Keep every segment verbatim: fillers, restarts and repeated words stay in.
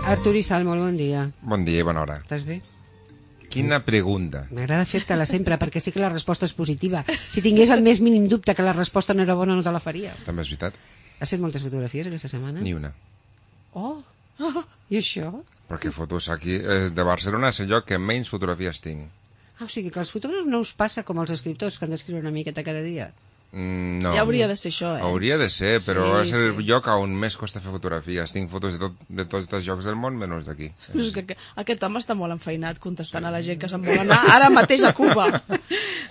Artur i Sal, molt bon dia. Bon dia i bona hora. Estàs bé? Quina pregunta. M'agrada fer-te-la sempre, perquè sí que la resposta és positiva. Si tingués el més mínim dubte que la resposta no era bona, no te la faria. També és veritat. Has fet moltes fotografies aquesta setmana? Ni una. Oh, oh. I això? Perquè fotos aquí... Eh, de Barcelona és el lloc que menys fotografies tinc. Ah, o sigui que als fotògrafs no us passa com als escriptors que han d'escriure una miqueta cada dia? Mm, no. Ja hauria de ser això, eh? Hauria de ser, però Sí, és el sí. lloc on més costa fer fotografies. Tinc fotos de, tot, de tots els llocs del món, menys d'aquí. És que, que aquest home està molt enfeinat contestant a la gent que se'n vol anar ara mateix a Cuba.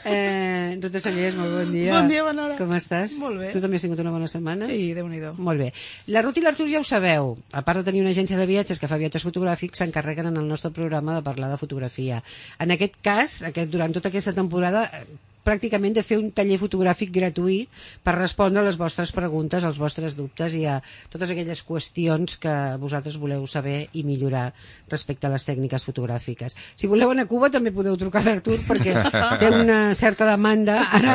Eh, Ruth Estanyés, molt bon dia. Bon dia, bona hora. Com estàs? Molt bé. Tu també has tingut una bona setmana? Sí, Déu-n'hi-do. Molt bé. La Ruth i l'Artur ja ho sabeu. A part de tenir una agència de viatges que fa viatges fotogràfics, s'encarreguen en el nostre programa de parlar de fotografia. En aquest cas, aquest, durant tota aquesta temporada, pràcticament de fer un taller fotogràfic gratuït per respondre a les vostres preguntes, als vostres dubtes i a totes aquelles qüestions que vosaltres voleu saber i millorar respecte a les tècniques fotogràfiques. Si voleu anar a Cuba també podeu trucar a l'Artur perquè té una certa demanda ara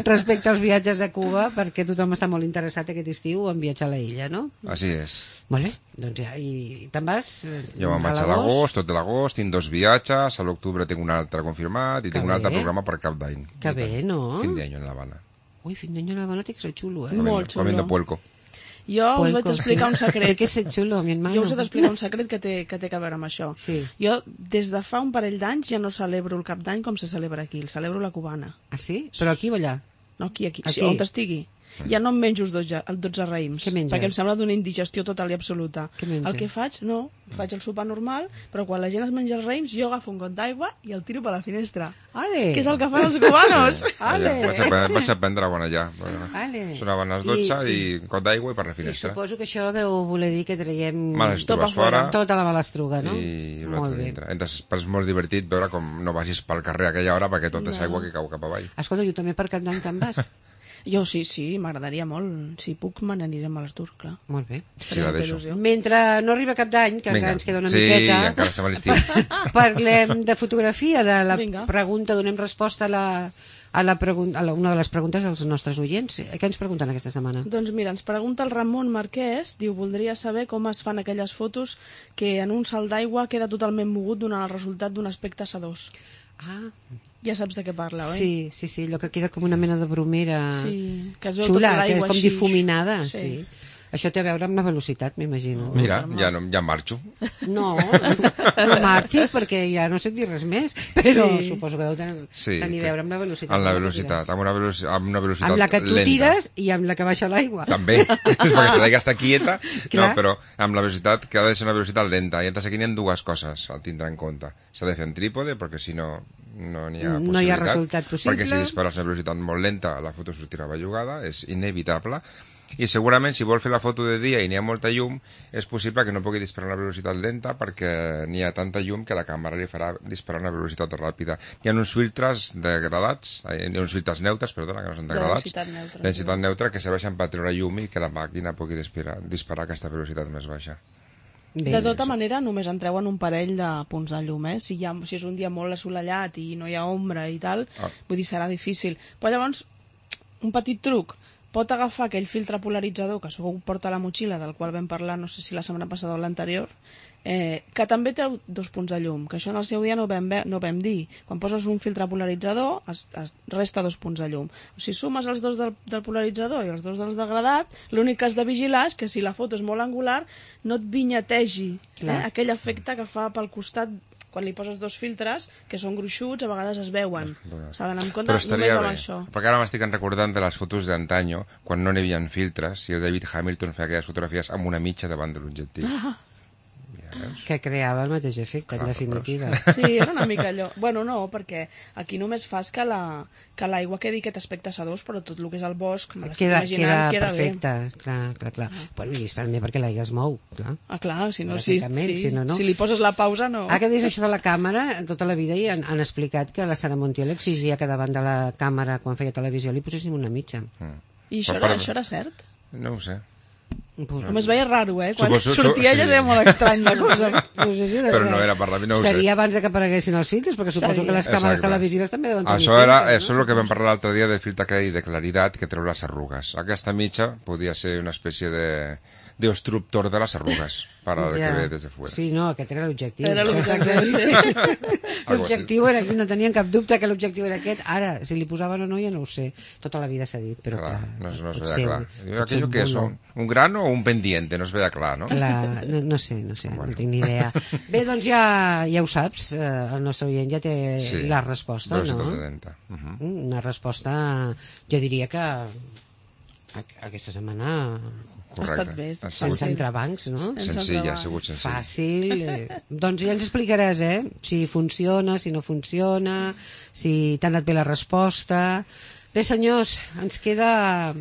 respecte als viatges a Cuba, perquè tothom està molt interessat aquest estiu en viatjar a la illa, no? Així és. Molt bé, doncs ja, i te'n vas? Jo me'n vaig a l'agost, tot de l'agost, tinc dos viatges, a l'octubre tinc un altre confirmat i Que tinc un altre bé. programa per Cap d'Any. Que bé, no? Fin d'any en l'Havana. Ui, fin d'any a l'Havana té que ser xulo, eh? Molt xulo. Comiendo puerco. Jo us vaig Puerco. explicar un Té secret. que ser xulo, mi hermano. Jo us he d'explicar un secret que té, que té que veure amb això. Sí. Jo, des de fa un parell d'anys, ja no celebro el cap d'any com se celebra aquí, el celebro la cubana. Ah, sí? Però aquí o allà? No, aquí, aquí, Aquí. sí, on estigui. Ja no em menjo els dotze, els dotze raïms, Què menges? perquè em sembla d'una indigestió total i absoluta. Què menges? El que faig, no, faig el sopar normal, però quan la gent es menja els raïms, jo agafo un got d'aigua i el tiro per la finestra. Ale! Que és el que fan els cubanos. Ale! Allà, vaig, a, vaig a prendre bona allà. Ale. Sonaven les dotze I- i, i got d'aigua i per la I finestra. suposo que això deu voler dir que traiem Malastrugues Tot a fora. fora. tota la malastruga, no? I Molt l'altre bé. dintre. Entonces, és molt divertit veure com no vagis pel carrer a aquella hora perquè tot és aigua que cau cap avall. Escolta, jo també per Cap d'Any te'n vas? Jo sí, sí, m'agradaria molt. Si puc, me n'aniré amb l'Artur, clar. Molt bé. Sí, la deixo. Mentre no arriba Cap d'Any, que encara ens queda una sí, miqueta, encara estem a l'estiu. parlem de fotografia, de la Vinga. pregunta, donem resposta a, la, a, la pregun- a la, una de les preguntes dels nostres oients. Què ens pregunten aquesta setmana? Doncs mira, ens pregunta el Ramon Marquès, diu, voldria saber com es fan aquelles fotos que en un salt d'aigua queda totalment mogut donant el resultat d'un aspecte sedós. Ah, Ja saps de què parla, oi? sí, sí, sí, allò que queda com una mena de bromera Sí, que es veu xula, tota que és l'aigua com així. difuminada, sí. Sí. Això té a veure amb la velocitat, m'imagino. Mira, ja, no, ja marxo. No, no marxis perquè ja no sé dir res més, però Sí. suposo que deu tenir, Sí, tenir a veure amb la velocitat. Amb la que velocitat, tires. amb una, veloci amb una velocitat Amb la que tu lenta. tires i amb la que baixa l'aigua. També, perquè si l'aigua està quieta, no, Clar. però amb la velocitat que ha de ser una velocitat lenta. I entonces aquí n'hi ha dues coses a tindre en compte. S'ha de fer en trípode, perquè si no, no n'hi ha possibilitat. No hi ha resultat possible. Perquè si dispares a una velocitat molt lenta, la foto sortirà bellugada, és inevitable. I segurament, si vol fer la foto de dia i n'hi ha molta llum, és possible que no pugui disparar a una velocitat lenta perquè n'hi ha tanta llum que la càmera li farà disparar a una velocitat ràpida. Hi ha uns filtres degradats, eh, hi ha uns filtres neutres, perdona, que no són De degradats, densitat neutra, densitat sí. neutra, que serveixen per treure llum i que la màquina pugui disparar, disparar a aquesta velocitat més baixa. Bé, De tota manera, només entreu en un parell de punts de llum, eh? Si, hi ha, si és un dia molt assolellat i no hi ha ombra i tal, Ah. vull dir, serà difícil. Però llavors, un petit truc, pot agafar aquell filtre polaritzador que segur porta a la motxilla, del qual vam parlar, no sé si la setmana passada o l'anterior, eh, que també té dos punts de llum, que això en el seu dia no vam, ve, no vam dir. Quan poses un filtre polaritzador, es, es resta dos punts de llum. Si sumes els dos del, del polaritzador i els dos del degradat, l'únic que has de vigilar és que si la foto és molt angular, no et vinyategi eh, aquell efecte que fa pel costat quan li poses dos filtres, que són gruixuts, a vegades es veuen. S'ha d'anar en compte Però només estaria amb bé, això. perquè ara m'estic recordant de les fotos d'antanyo, quan no n'hi havia filtres, i el David Hamilton feia aquelles fotografies amb una mitja davant de l'objectiu. Ah. que creava el mateix efecte, en Clar, definitiva. Sí, era una mica allò. Bueno, no, perquè aquí només fas que la que l'aigua quedi aquest aspecte sedós, però tot el que és el bosc, me l'estic Queda, imaginant, queda, queda perfecte, clar, clar, clar. Bueno, i també perquè l'aigua es mou, clar. bé. Ah, clar, si no, si, Bàsicament, si, si no, no. si li poses la pausa, no. Ara que dius això de la càmera, tota la vida hi han, han explicat que la Sara Montiel exigia que davant de la càmera, quan feia televisió, li poséssim una mitja. Mm. I això, Per era, part- això era cert? No ho sé. Pues, Només veia raro, eh? Quan Suposo- sortia sí. ella era molt estrany la cosa. no sé si era Però cert. no era per la mi, no ho sé. Seria abans de que apareguessin els filtres, perquè suposo Seria. que les càmeres Exacte. televisives també deuen tenir Això, era, filtres, això és el que vam parlar l'altre dia del filtre que de claritat que treu les arrugues. Aquesta mitja podia ser una espècie de, de obstructor de las arrugas para el Ja. que ve des de fuera. Sí, no, aquest era l'objectiu. Era Això l'objectiu, està sí. claríssim. L'objectiu era aquí, no tenien cap dubte que l'objectiu era aquest. Ara, si li posaven o no, ja no ho sé. Tota la vida s'ha dit, però Clar, clar, no, es- no es potser- veia clar. potser Aquello un que és bulo. un, un grano o un pendiente, no es veia clar, no? Clar, no, no sé, no sé, Bueno. no tinc ni idea. Bé, doncs ja, ja ho saps, eh, el nostre oient ja té Sí, la resposta, velocitat no? setanta. Uh -huh. Una resposta, jo diria que a- aquesta setmana Ha estat bé, Ha sense sigut sí. entrebancs, no? Sense senzilla, ha entrebancs. sigut senzill. Fàcil. Eh. Doncs ja ens explicaràs, eh? Si funciona, si no funciona, si t'ha anat bé la resposta. Bé, senyors, ens queda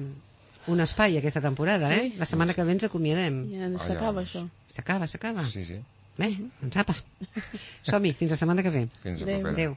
un espai aquesta temporada, eh? Sí. La setmana que ve ens acomiadem. Ja Ah, s'acaba, ja. això. S'acaba, s'acaba. Sí, sí. Bé, doncs apa. Som-hi, fins la setmana que ve. Fins a Adéu. propera. Adéu.